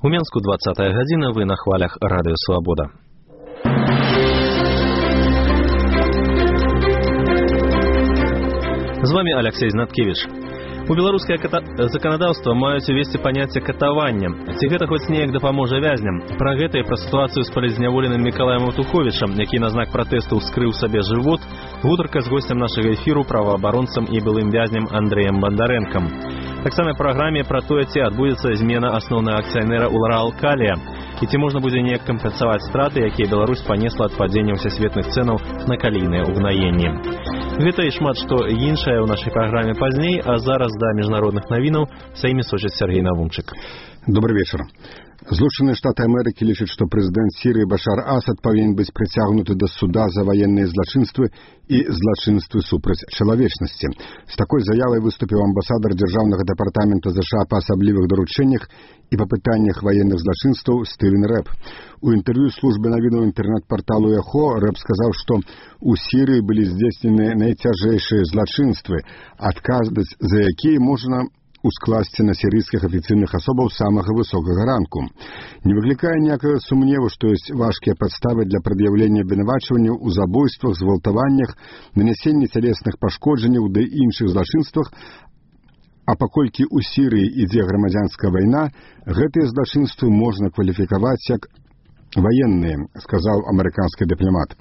У Менску 20-я гадзіна, вы на хвалях Радыё Свабода. З вами Алексей Знаткевич. У беларускае заканадаўства маюць увесці паняцце катавання. Ці гэта хоць неяк дапаможа вязням? Пра гэта і пра сітуацыю з палізняволеным Мікалаем Утуховічам, які на знак пратэсту ўскрыў сабе жывот, гутарка з госцем нашага эфіру, праваабаронцам і былым вязням Андрэем Бандарэнкам. Таксама праграме пра тое, ці адбудзецца змена асноўнага акцыянера Урал Калія, і ці можна будзе неяк кампенсаваць страты, якія Беларусь панесла ад падзення ўсесветных цэнаў на калійныя ўгнаенні. Гэта і шмат што іншае ў нашай праграме пазней, а зараз да міжнародных навінаў са імі сочыць Сергей Навумчык. Добрый вечер. Злучаныя Штаты Амерыкі лічаць, што прэзідэнт Сірыі Башар Асад павінен быць прыцягнуты да суда за ваенныя злачынствы і злачынствы супраць чалавечнасці. З такой заявай выступіў амбасадар Дзяржаўнага дэпартамента ЗША па асаблівых даручэннях і па пытаннях ваенных злачынстваў Стывен Рэп. У інтэрв'ю службы навінаў інтэрнэт-парталу Эхо Рэп сказаў, што у Сірыі былі здзейснены найцяжэйшыя злачынствы, адказваць за якія можна ускласці на сірыйскіх афіцыйных асобаў самага высокага ранку. Не выклікае ніякага сумневу, што ёсць важкія падставы для прад'яўлення абвінавачванняў у забойствах, згвалтаваннях, нанясенні цялесных пашкоджанняў ды іншых злачынствах, а паколькі ў Сірыі ідзе грамадзянская вайна, гэтыя злачынствы можна кваліфікаваць як военные, сказал американский дипломат.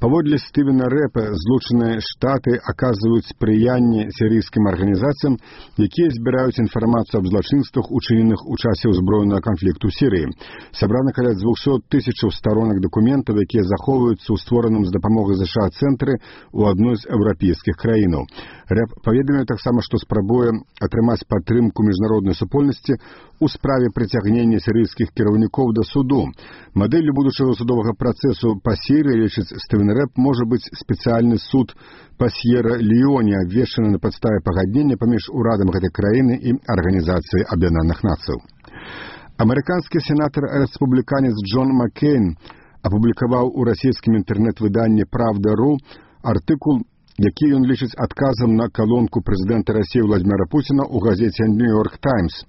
Паводле Стывена Рэпа, Злучаныя Штаты аказваюць спрыянне сірыйскім арганізацыям, якія збіраюць інфармацыю аб злачынствах, учыненых у часе ўзброенага канфлікту ў Сірыі. Сабрана каля 200 000 сторонак дакументаў, якія захоўваюцца ў створаным з дапамогай ЗША цэнтры ў адной з еўрапейскіх краінаў. Рэп паведаміў таксама, што спрабуе атрымаць падтрымку міжнароднай супольнасці у справе прыцягнення сірыйскіх кіраўнікоў да суду. Мадэллю будучага судовага працэсу па Сірыі, лічыць Стывен Рэп, можа быць спецыяльны суд па С'ера-Леоне, абвешчаны на падставе пагаднення паміж урадам гэтай краіны і Арганізацыяй Аб'яднаных Нацыяў. Амерыканскі сенатар-рэспубліканец Джон Маккейн апублікаваў у расійскім інтэрнэт-выданні «Правда.ру» артыкул, які ён лічыць адказам на калонку прэзідэнта Расіі Владзіміра Пуціна ў газеце «Нью-Йорк Таймс».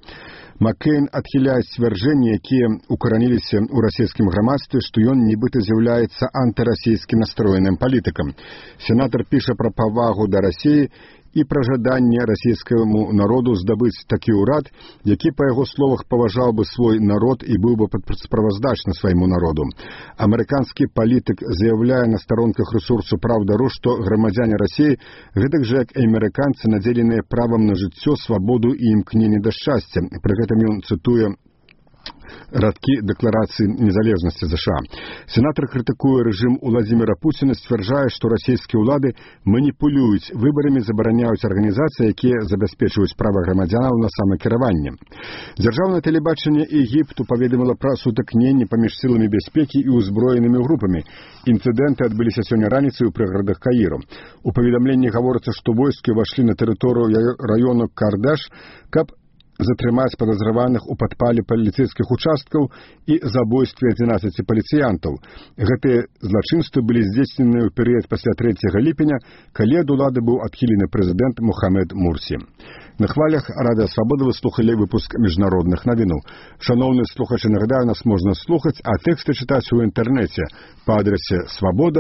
Маккейн адхіляе сцвярджэнні, якія укараніліся ў расійскім грамадстве, што ён нібыта з'яўляецца антырасійскім настроеным палітыкам. Сенатар піша пра павагу да Расіі і пра жаданне расійскаму народу здабыць такі ўрад, які, па яго словах, паважаў бы свой народ і быў бы справаздачны свайму народу. Амерыканскі палітык заяўляе на старонках рэсурсу «Правда.ру», што грамадзяне Расіі, гэтак жа як і амерыканцы, надзеленыя правам на жыццё, свабоду і імкненне да шчасця. Пры гэтым ён цытуе радкі дэкларацыі незалежнасці ЗША. Сенатар крытыкуе рэжым Владзіміра Пуціна, сцвярджае, што расійскія ўлады маніпулююць выбарамі, забараняюць арганізацыі, якія забяспечваюць права грамадзянаў на самакіраванне. Дзяржаўнае тэлебачанне Егіпту паведаміла пра сутыкненні паміж сіламі бяспекі і ўзброенымі групамі. Інцыдэнты адбыліся сёння раніцай у прыгарадах Каіру. У паведамленні гаворыцца, што войскі ўвайшлі на тэрыторыю раёну Кардаш, каб затрымаць падазраваных у падпале паліцэйскіх участкаў і забойстве 11 паліцыянтаў. Гэтыя злачынствы былі здзейснены ў перыяд пасля 3 ліпеня, калі ад улады быў адхілены прэзідэнт Мухаммед Мурсі. На хвалях Радыё Свабода вы слухалі выпуск міжнародных навінаў. Шановныя слухачы, нагадаю, нас можна слухаць, а тэксты чытаць у інтэрнэце па адрасе свабода.